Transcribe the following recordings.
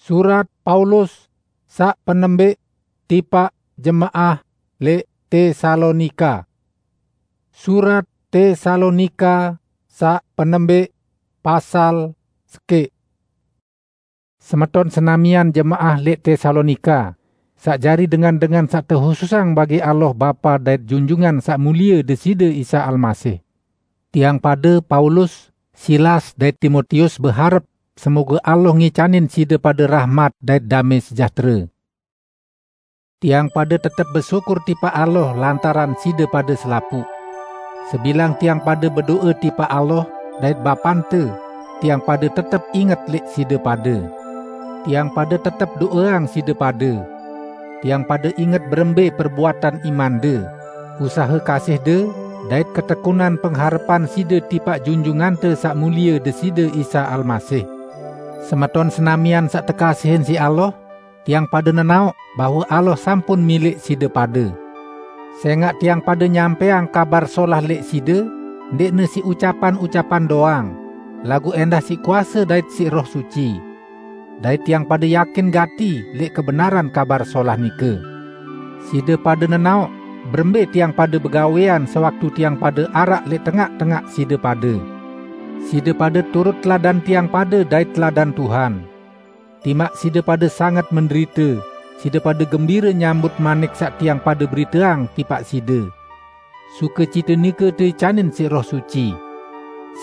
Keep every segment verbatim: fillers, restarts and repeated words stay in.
Surat Paulus saq penembik tipaq jemaah leq Tesalonika. Surat Tesalonika saq penembik, pasal sekeq. Semeton senamian jemaah leq Tesalonika, saq jari dengan-dengan saq tehususang bagi Allah Bapa dait Junjungan Saq Mulie Deside Isa Almasih. Tiang pade, Paulus, Silas, dait Timotius, beharep semoge Allah ngicanin side pade rahmat dait dame sejahtere. Tiang pade tetep besyukur tipaq Allah lantaran side pade selapuq. Sebilang tiang pade bedo'e tipaq Allah dait Bapante, tiang pade tetep inget leq side pade. Tiang pade tetep do'eang side pade. Tiang pade inget berembe perbuatan imande, usahe kasihde, dait ketekunan pengharepan side tipaq Junjungante Saq Mulie Deside Isa Almasih. Semeton senamian saq tekasihin siq Allah, tiang pade nenaoq bahwe Allah sampun mileq side pade. Sengaq tiang pade nyampeang Kabar Solah leq side, ndeqne siq ucapan-ucapan doang, laguq endah siq kuase dait siq Roh Suci. Dait tiang pade yakin gati leq kebenaran Kabar Solah nike. Side pade nenaoq berembe tiang pade begawean sewaktu tiang pade araq leq tengaq-tengaq side pade. Side pade turut teladan tiang pade dait teladan Tuhan. Timaq side pade sanget menderite, side pade gembire nyambut manik saq tiang pade beriteang tipaq side. Sukecite nike teicanin siq Roh Suci.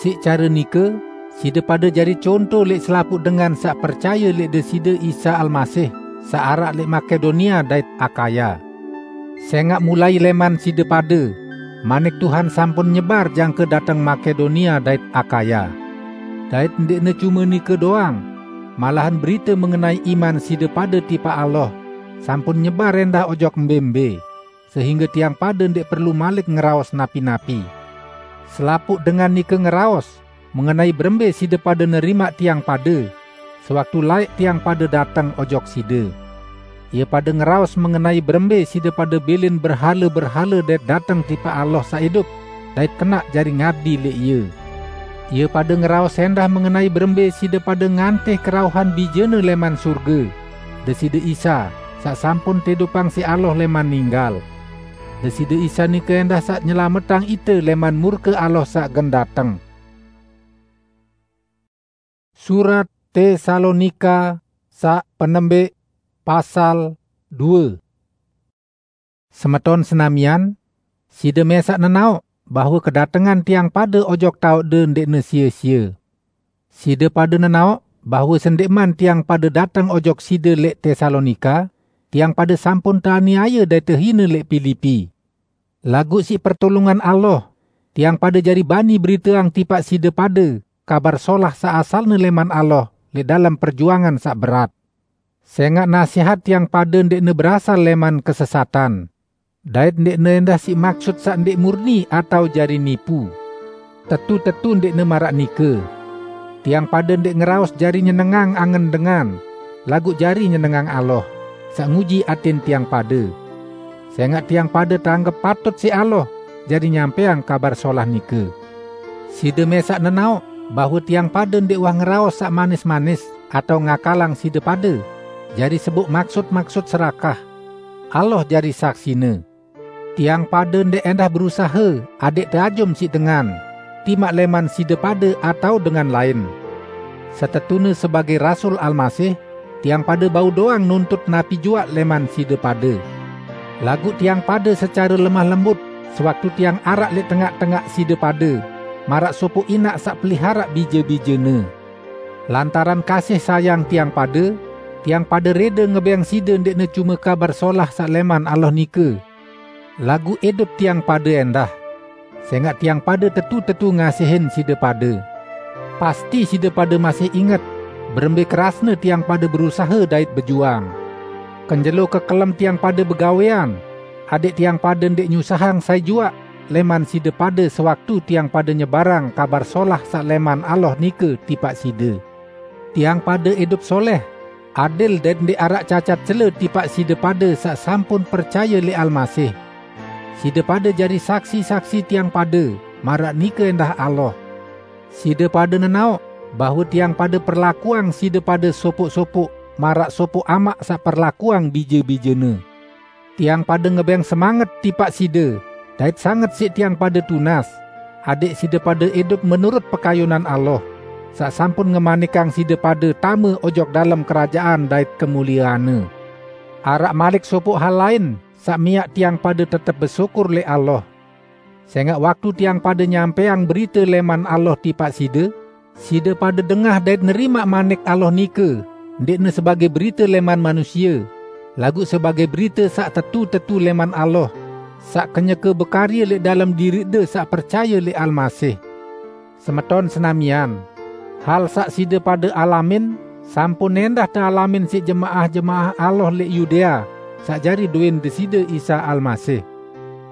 Siq care nike, side pade jari conto leq selapuq dengan saq percaye leq Deside Isa Almasih, saq araq leq Makedonia dait Akhaya. Sengaq mulai leman side pade, manik Tuhan sampun nyebar jangke dateng Makedonia dait Akhaya. Dait ndeqne cume nike doang, malahan berite mengenai iman side pade tipaq Allah sampun nyebar endah ojok mbe-mbe, sehingge tiang pade ndeq perlu malik ngeraos napi-napi. Selapuq dengan nike ngeraos mengenai berembe side pade nerimaq tiang pade, sewaktu laeq tiang pade dateng ojok side. Ie pade ngeraos mengenai berembe side pade bilin berhale-berhale dait dateng tipaq Allah saq idup, dait kenaq jari ngabdi leq Ie. Ie pade ngeraos endah mengenai berembe side pade ngantih kerauhan Bijene leman surge, Deside Isa, saq sampun teidupang siq Allah leman ninggal. Deside Isa nike endah saq nyelametang ite leman murke Allah saq gen dateng. Surat Tesalonika saq penembik, pasal due. Semeton senamian, side mesaq nenaoq bahwe kedatengan tiang pade ojok taoqde ndeqne sie-sie. Side pade nenaoq bahwe sendeqman tiang pade dateng ojok side leq Tesalonika, tiang pade sampun teaniaye dait tehine leq Pilipi. Laguq siq pertulungan Allah, tiang pade jari bani beriteang tipaq side pade Kabar Solah saq asalne leman Allah leq dalem perjuangan saq berat. Sengaq nasehat tiang pade ndeqne berasal leman kesesatan, dait ndeqne endah siq maksut saq ndeq murni atao jari nipu. Tetu-tetu ndeqne maraq nike. Tiang pade ndeq ngeraos jari nyenengang angen dengan, laguq jari nyenengang Allah, saq nguji atin tiang pade. Sengaq tiang pade teanggep patut siq Allah jari nyampeang Kabar Solah nike. Side mesaq nenaoq bahwe tiang pade ndeq wah ngeraos saq manis-manis atao ngakalang side pade, jari sebuk maksut-maksut serakah. Allah jari saksine. Tiang pade ndeq endah berusahe adẽq teajum siq dengan, timaq leman side pade atao dengan lain. Setetune sebagei rasul Almasih, tiang pade bau doang nuntut napi juaq leman side pade. Laguq tiang pade secare lemah lembut sewaktu tiang araq leq tengaq-tengaq side pade, maraq sopoq inaq saq peliharaq bije-bijene. Lantaran kasih sayang tiang pade, tiang pade rede ngebeng side ndeqne cume Kabar Solah saq leman Allah nike, laguq idup tiang pade endah. Sengaq tiang pade tetu-tetu ngasihin side pade. Pasti side pade masih inget berembe kerasne tiang pade berusahe dait bejuang. Kenjelo kekelem tiang pade begawean, adẽq tiang pade ndeq nyusahang sai juaq leman side pade sewaktu tiang pade nyebarang Kabar Solah saq leman Allah nike tipaq side. Tiang pade idup soleh, adil dait ndeq araq cacat cele tipaq side pade saq sampun percaye leq Almasih. Side pade jari saksi-saksi tiang pade, maraq nike endah Allah. Side pade nenaoq bahwe tiang pade perlakuang side pade sopoq-sopoq marak sopoq amaq saq perlakuang bije-bijene. Tiang pade ngebeng semanget tipaq side, dait sanget siq tiang pade tunas, adẽq side pade idup menurut pekayunan Allah, saq sampun ngemanikang side pade tame ojok dalem kerajaan dait kemulieanne. Araq malik sopoq hal lain saq miaq tiang pade tetep besyukur lẽq Allah. Sẽngaq waktu tiang pade nyampẽang berite lẽman Allah tipaq side, side pade dengah dait nerimaq manik Allah nike, ndeqne sebagẽ berite lẽman manusie, laguq sebagẽ berite saq tetu-tetu lẽman Allah, saq kenyeke bekarye lẽq dalem diriqde saq percaye lẽq Almasih. Semeton senamian, hal saq side pade alamin, sampun endah tealamin siq jemaah-jemaah Allah lẽq Yudea, saq jari dowẽn Deside Isa Almasih.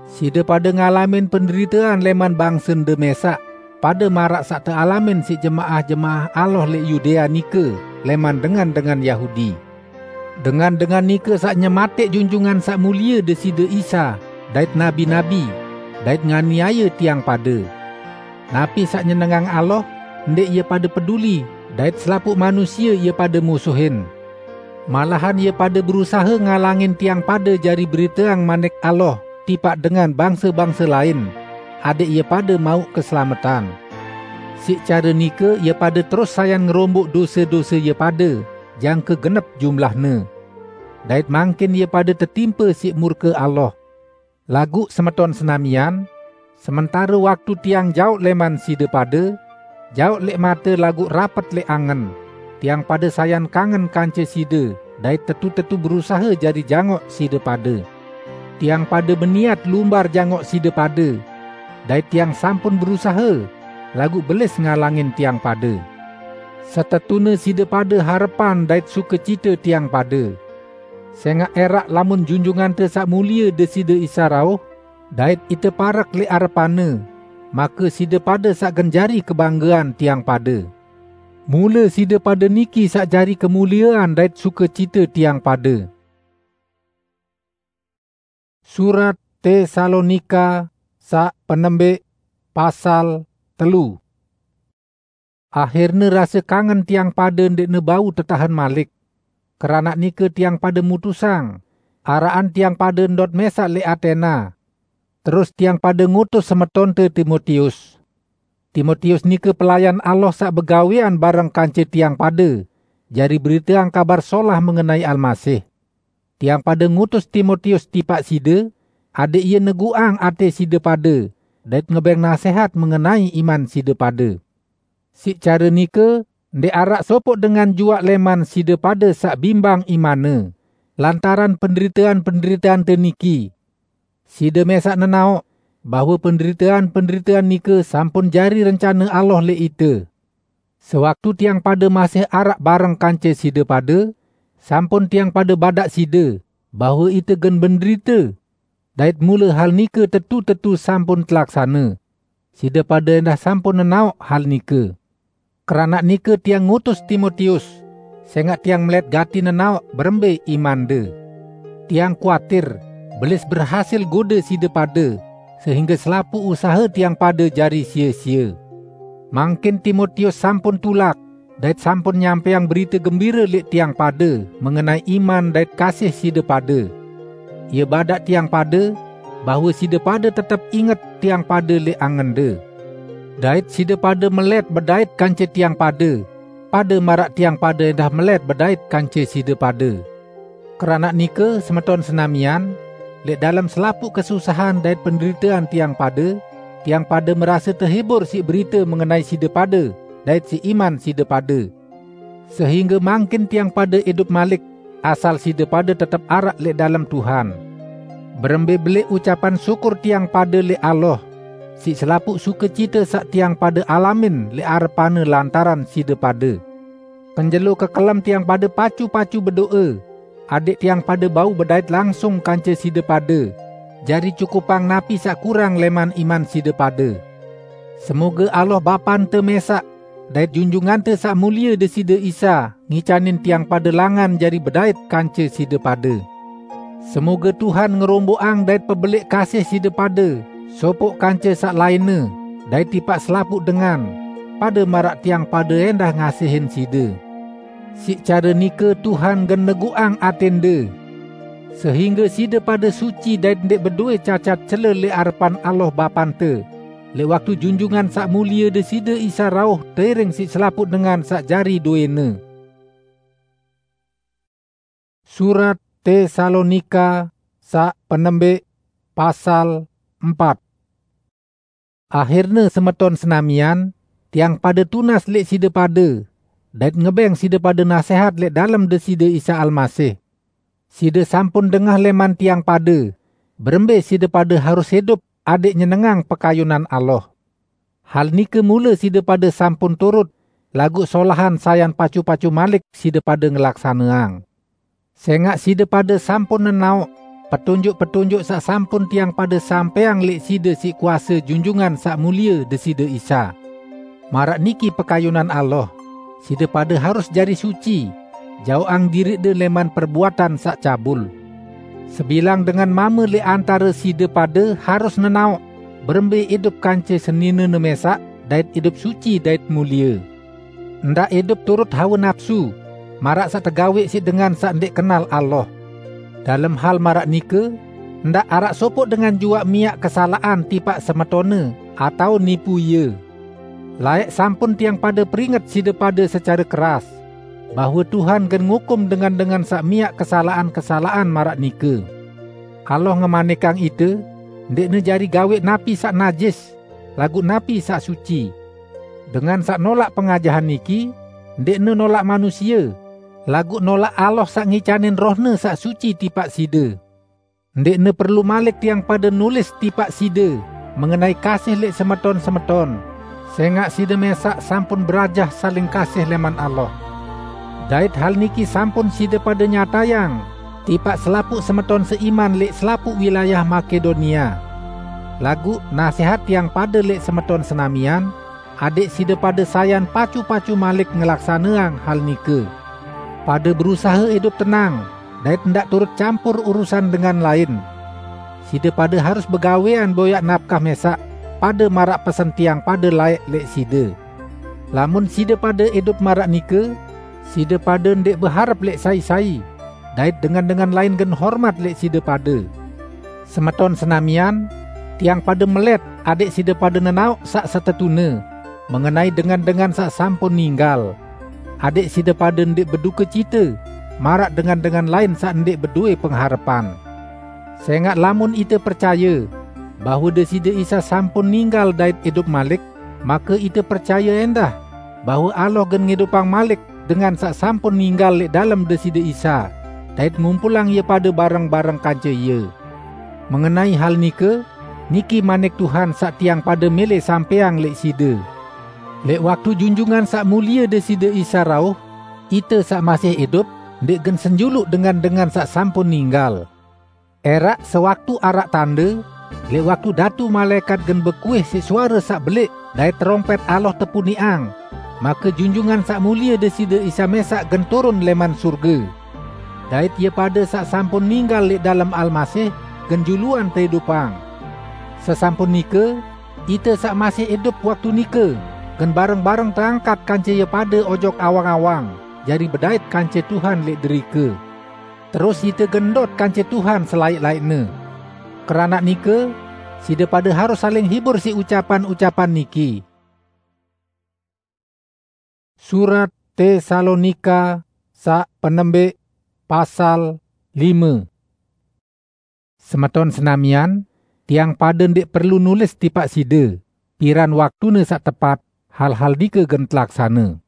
Side pade ngalamin penderitean lẽman bangsende mẽsaq, pade maraq saq tealamin siq jemaah-jemaah Allah lẽq Yudea nike lẽman dengan-dengan Yahudi. Dengan-dengan nike saq nyematẽq Junjungan Saq Mulie Deside Isa dait nabi-nabi, dait nganiaye tiang pade. Napi saq nyenengang Allah, ndẽq ie pade peduli, dait selapuq manusie ie pade musuhin. Malahan ie pade berusahe ngalangin tiang pade jari beriteang Manik Allah tipaq dengan bangse-bangse lain, adẽq ie pade mauq keselametan. Siq care nike ie pade terus sayan ngeromboq dose-dose ie pade, jangke genep jumlahne. Dait mangkin ie pade tetimpe siq murke Allah. Laguq semeton senamian, sementare waktu tiang jaoq lẽman side pade, jaoq lẽq mate laguq rapet lẽq angen, tiang pade sayan kangen kance side dait tetu-tetu berusahe jari jangoq side pade. Tiang pade beniat lumbar jangoq side pade, dait tiang sampun berusahe, laguq belis ngalangin tiang pade. Setetune side pade harepan dait sukecite tiang pade. Sẽngaq ẽraq lamun Junjungante Saq Mulie Deside Isa rauh, dait ite parek lẽq arepan-Ne, make side pade saq gen jari kebanggean tiang pade. Mule side pade niki saq jari kemuliean dait sukecite tiang pade. Surat Tesalonika saq penembeq, pasal telu. Ahirne rase kangen tiang pade ndeqne bau tetahen malik. Keranaq nike tiang pade mutusang, araqan tiang pade ndot mẽsaq lẽq Atena. Terus tiang pade ngutus semetonte Timotius. Timotius nike pelayan Allah saq begawẽan bareng kance tiang pade, jari beriteang Kabar Solah mengenai Almasih. Tiang pade ngutus Timotius tipaq side, adẽq ie neguqang atẽ side pade dait ngebẽng nasẽhat mengenai iman side pade. Siq care nike, ndẽq araq sopoq dengan juaq lẽman side pade saq bimbang imanne, lantaran penderitean-penderiteante niki. Side mẽsaq nenaoq bahwe penderitean-penderitean nike sampun jari rencane Allah lẽq ite. Sewaktu tiang pade masih araq bareng kance side pade, sampun tiang pade badaq side bahwe ite gen benderite, dait mule hal nike tetu-tetu sampun telaksane. Side pade endah sampun nenaoq hal nike. Keranaq nike tiang ngutus Timotius, sẽngaq tiang melet gati nenaoq berembe imande. Tiang kuatir, belis berhasil gode side pade, sehingge selapuq usahe tiang pade jari sie-sie. Mangkin Timotius sampun tulak, dait sampun nyampẽang Berite Gembire lẽq tiang pade mengenai iman dait kasih side pade. Ie badaq tiang pade bahwe side pade tetep inget tiang pade lẽq angende. Dait side pade melet bedait kance tiang pade, pade maraq tiang pade endah melet bedait kance side pade. Keranaq nike, semeton senamian, lẽq dalem selapuq kesusahan dait penderitean tiang pade, tiang pade merase tehibur siq berite mengenai side pade dait siq iman side pade, sehingge mangkin tiang pade idup malik, asal side pade tetep araq lẽq dalem Tuhan. Berembe belẽq ucapan syukur tiang pade lẽq Allah, siq selapuq sukecite saq tiang pade alamin lẽq arepan-Ne lantaran side pade. Kenjelo kekelem tiang pade pacu-pacu bedoe, adẽq tiang pade bau bedait langsung kance side pade, jari cukupang napi saq kurang lẽman iman side pade. Semoge Allah Bapante mẽsaq, dait Junjungante Saq Mulie Deside Isa ngicanin tiang pade langan jari bedait kance side pade. Semoge Tuhan ngeromboqang dait pebelẽq kasih side pade sopoq kance saq lainne, dait tipaq selapuq dengan, pade maraq tiang pade endah ngasihin side. Siq care nike Tuhan gen neguqang atende, sehingge side pade suci dait ndeq bedoe cacat cele leq arepan Allah Bapante, leq waktu Junjungan Saq Mulie Deside Isa rauh teiring siq selapuq dengan saq jari doene. Surat Tesalonika saq penembeq, pasal empat. Ahirne, semeton senamian, tiang pade tunas leq side pade, dait ngebeng side pade nasehat leq dalem Deside Isa Almasih. Side sampun dengah leman tiang pade, berembe side pade harus idup adeq nyenengang pekayunan Allah. Hal nike mule side pade sampun turut, laguq solahan sayan pacu-pacu malik side pade ngelaksaneang. Sengaq side pade sampun nenaoq petunjuk-petunjuk saq sampun tiang pade sampeang leq side siq kuase Junjungan Saq Mulie Deside Isa. Maraq niki pekayunan Allah, side pade harus jari suci, jaoqang diriqde leman perbuatan saq cabul. Sebilang dengan mame leq antare side pade harus nenaoq berembe idup kance seninene mesaq dait idup suci dait mulie. Ndaq idup turut hawe napsu, maraq saq tegaweq siq dengan saq ndeq kenal Allah. Dalem hal maraq nike, ndaq araq sopoq dengan juaq miaq kesalaqan tipaq semetonne atao nipu ie. Laeq sampun tiang pade peringet side pade secare keras, bahwe Tuhan gen ngukum dengan-dengan saq miaq kesalaqan-kesalaqan maraq nike. Allah ngemanikang ite, ndeqne jari gaweq napi saq najis, laguq napi saq suci. Dengan saq nolaq pengajahan niki, ndeqne nolaq manusie, laguq nolaq Allah saq ngicanin Roh-Ne saq suci tipaq side. Ndeqne perlu malik tiang pade nulis tipaq side mengenai kasih leq semeton-semeton, sengaq side mesaq sampun berajah saling kasih leman Allah. Dait hal niki sampun side pade nyatayang tipaq selapuq semeton seiman leq selapuq wilayah Makedonia. Laguq nasehat tiang pade leq semeton senamian, adeq side pade sayan pacu-pacu malik ngelaksaneang hal nike. Pade berusahe idup tenang, dait ndaq turut campur urusan dengan lain. Side pade harus begawean boyaq napkah mesaq pade maraq pesen tiang pade laeq leq side. Lamun side pade idup maraq nike, side pade ndeq beharep leq sai-sai, dait dengan-dengan lain gen hormat leq side pade. Semeton senamian, tiang pade melet adeq side pade nenaoq saq setetune mengenai dengan-dengan saq sampun ninggal, adeq side pade ndeq bedukecite maraq dengan-dengan lain saq ndeq bedoe pengharepan. Sengaq lamun ite percaye bahwe Deside Isa sampun ninggal dait idup malik, make ite percaye endah bahwe Allah gen ngidupang malik dengan saq sampun ninggal leq dalem Deside Isa, dait ngumpulang ie pade bareng-bareng kance Ie. Mengenai hal nike, niki manik Tuhan saq tiang pade mele sampeang leq side. Leq waktu Junjungan Saq Mulie Deside Isa rauh, ite saq masih idup ndeq gen senjuluq dengan-dengan saq sampun ninggal. Eraq sewaktu araq tande, leq waktu datu malaekat gen bekuih siq suare saq belieq dait terompet Allah tepuniqang, make Junjungan Saq Mulie Deside Isa mesaq gen turun leman surge. Dait ie pade saq sampun ninggal leq dalem Almasih gen juluan teidupang. Sesampun nike, ite saq masih idup waktu nike gen bareng-bareng teangkat kance ie pade ojok awang-awang, jari bedait kance Tuhan leq derike. Terus ite gen ndot kance Tuhan selaeq-laeqne. Keranaq nike, side pade harus saling hibur siq ucapan-ucapan niki. Surat Tesalonika saq penembeq, pasal lime. Semeton senamian, tiang pade ndeq perlu nulis tipaq side, piran waktune saq tepat hal-hal nike gen telaksane.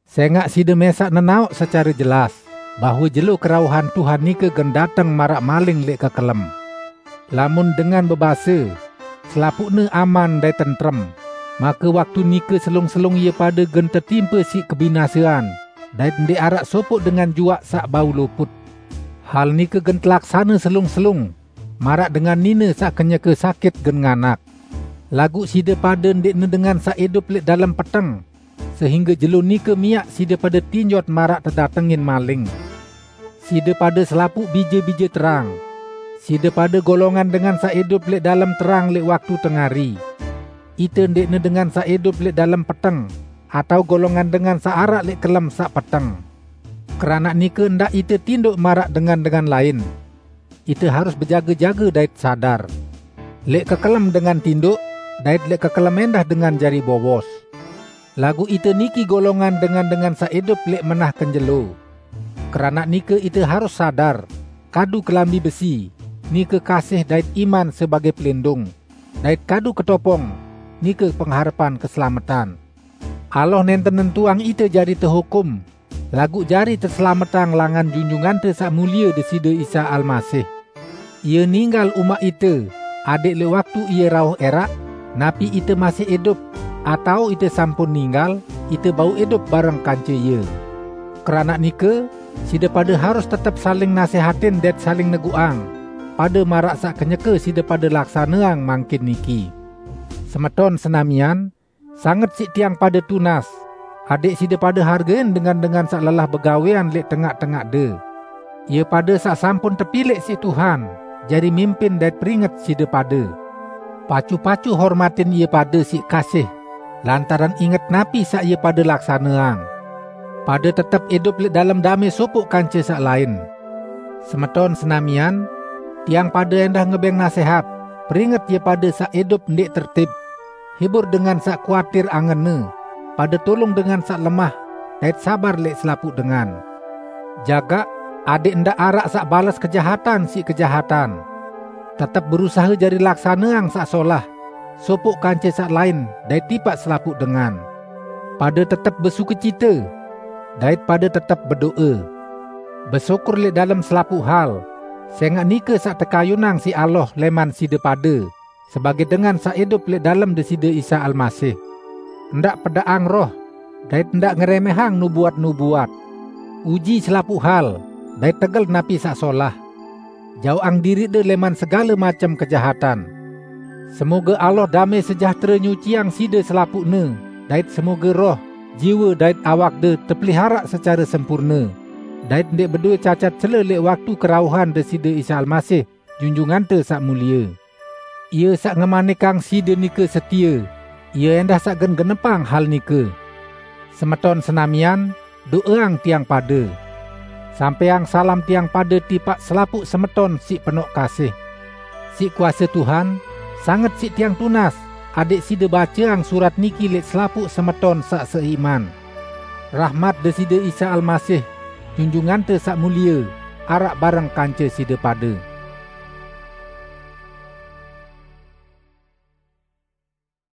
Sengaq side mesaq nenaoq secare jelas bahwe jelo kerauhan Tuhan nike gen dateng maraq maling leq kekelem. Lamun dengan bebase, "Selapuqne aman dait tentrem," make waktu nike selung-selung ie pade gen tetimpe siq kebinasean, dait ndeq araq sopoq dengan juaq saq bau luput. Hal nike gen telaksane selung-selung, maraq dengan nine saq kenyeke sakit gen nganak. Laguq side pade ndeqne dengan saq idup leq dalem peteng, sehingge jelo nike miaq side pade tinjot maraq tedatengin maling. Side pade selapuq bije-bije terang. Side pade golongan dengan saq idup leq dalem terang leq waktu tengari. Ite ndeqne dengan saq idup leq dalem peteng, atao golongan dengan saq araq leq kelem saq peteng. Keranaq nike ndaq ite tindoq maraq dengan-dengan lain. Ite harus bejaga-jaga dait sadar. Leq kekelem dengan tindoq, dait leq kekelem endah dengan jari bowos. Laguq ite niki golongan dengan-dengan saq idup leq menah kenjelo. Keranaq nike ite harus sadar, kadu kelambi besi, nike kasih dait iman sebagaq pelindung, dait kadu ketopong, nike pengharepan keselametan. Allah nenten nentuang ite jari tehukum, laguq jari teselametang langan Junjungante Saq Mulie Deside Isa Almasih. Ie ninggal umaq ite, adẽq leq waktu Ie rauh ẽraq, napi ite masih idup, atao ite sampun ninggal, ite bau idup bareng kance Ie. Keranaq nike, side pade harus tetep saling nasehatin dait saling neguqang, pade maraq saq kenyeke side pade laksaneang mangkin niki. Semeton senamian, sanget siq tiang pade tunas, adẽq side pade hargein dengan-dengan saq lelah begawean leq tengaq-tengaqde. Ie pade saq sampun tepilẽq siq Tuhan jari mimpin dait peringet side pade. Pacu-pacu hormatin ie pade siq kasih, lantaran inget napi saq ie pade laksaneang. Pade tetep idup leq dalem damẽ sopoq kance saq lain. Semeton senamian, tiang pade endah ngebẽng nasehat, peringet ie pade saq idup ndẽq tertib. Hibur dengan saq kuatir angenne, pade tulung dengan saq lemah, dait sabar leq selapuq dengan. Jagaq, adẽq ndaq araq saq bales kejahatan siq kejahatan. Tetep berusahe jari laksaneang saq solah, sopoq kance saq lain dait tipaq selapuq dengan. Pade tetep besukecite, dait pade tetep bedo'e. Besyukur leq dalem selapuq hal, sẽngaq nike saq tekayunang siq Allah lẽman side pade, sebagaq dengan saq idup leq dalem Deside Isa Almasih. Ndaq pedaqang roh, dait ndaq ngeremehang nubuat-nubuat. Uji selapuq hal, dait tegel napi saq solah. Jaoqang diriqde lẽman segale macem kejahatan. Semoge Allah damẽ sejahtere nyuciang side selapuqne, dait semoge roh, jiwe dait awakde tepeliharaq secare sempurne, dait ndẽq bedoe cacat cele leq waktu kerauhan Deside Isa Almasih, Junjungante Saq Mulie. Ie saq ngemanikang side nike setie, Ie endah saq gen genepang hal nike. Semeton senamian, do'eang tiang pade. Sampẽang salam tiang pade tipaq selapuq semeton siq penoq kasih. Siq kuase Tuhan, sanget siq tiang tunas, adẽq side baceang surat niki leq selapuq semeton saq seiman. Rahmat Deside Isa Almasih, Junjungante Saq Mulie, araq bareng kance side pade.